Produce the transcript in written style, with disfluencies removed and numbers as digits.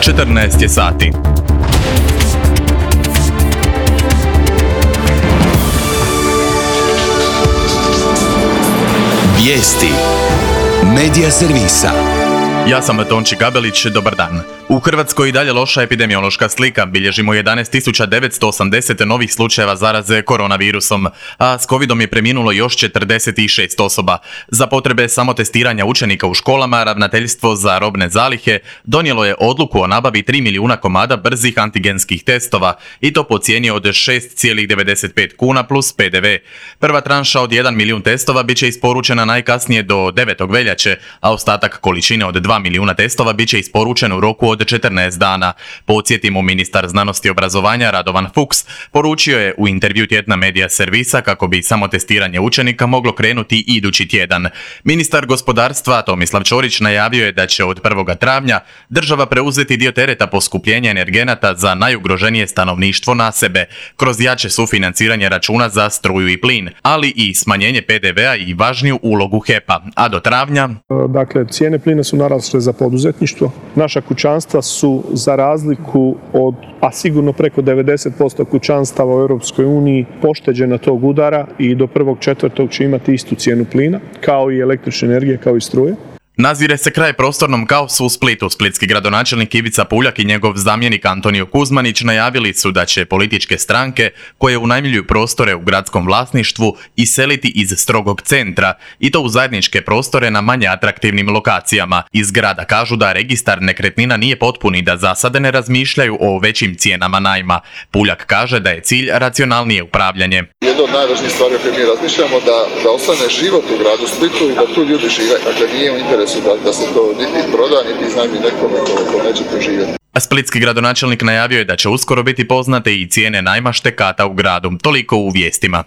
14 je sati. Vijesti Medija servisa. Ja sam Tonči Gabelić, dobar dan. U Hrvatskoj i dalje loša epidemiološka slika, bilježimo 11.980 novih slučajeva zaraze koronavirusom, a s covidom je preminulo još 46 osoba. Za potrebe samotestiranja učenika u školama, Ravnateljstvo za robne zalihe donijelo je odluku o nabavi 3 milijuna komada brzih antigenskih testova, i to po cijeni od 6,95 kuna plus PDV. Prva tranša od 1 milijun testova bit će isporučena najkasnije do 9. veljače, a ostatak količine od 2 milijuna testova bit će isporučen u roku od 14 dana. Podsjetimo, ministar znanosti i obrazovanja Radovan Fuchs poručio je u intervju tjedna Medija servisa kako bi samotestiranje učenika moglo krenuti idući tjedan. Ministar gospodarstva Tomislav Ćorić najavio je da će od 1. travnja država preuzeti dio tereta poskupljenja energenata za najugroženije stanovništvo na sebe, kroz jače sufinanciranje računa za struju i plin, ali i smanjenje PDV-a i važniju ulogu HEP-a, a do travnja... Dakle, cijene plina su narasle za poduzetništvo. Naša kućanstva su, za razliku od, a sigurno preko 90% kućanstava u Europskoj uniji, pošteđena tog udara i do 1.4. će imati istu cijenu plina, kao i električne energije, kao i struje. Nazire se kraj prostornom kaosu u Splitu. Splitski gradonačelnik Ivica Puljak i njegov zamjenik Antonio Kuzmanić najavili su da će političke stranke koje unajmljuju prostore u gradskom vlasništvu iseliti iz strogog centra, i to u zajedničke prostore na manje atraktivnim lokacijama. Iz grada kažu da registar nekretnina nije potpun i da za sada ne razmišljaju o većim cijenama najma. Puljak kaže da je cilj racionalnije upravljanje. Jedna od najvažnijih stvari o kojoj mi razmišljamo da ostane život u gradu Splitu i da tu ljudi žive. Dakle, nije u interesu da se to niti proda, niti iznajmi nekome ko neće tu živjeti. A splitski gradonačelnik najavio je da će uskoro biti poznate i cijene najma štekata u gradu. Toliko u vijestima.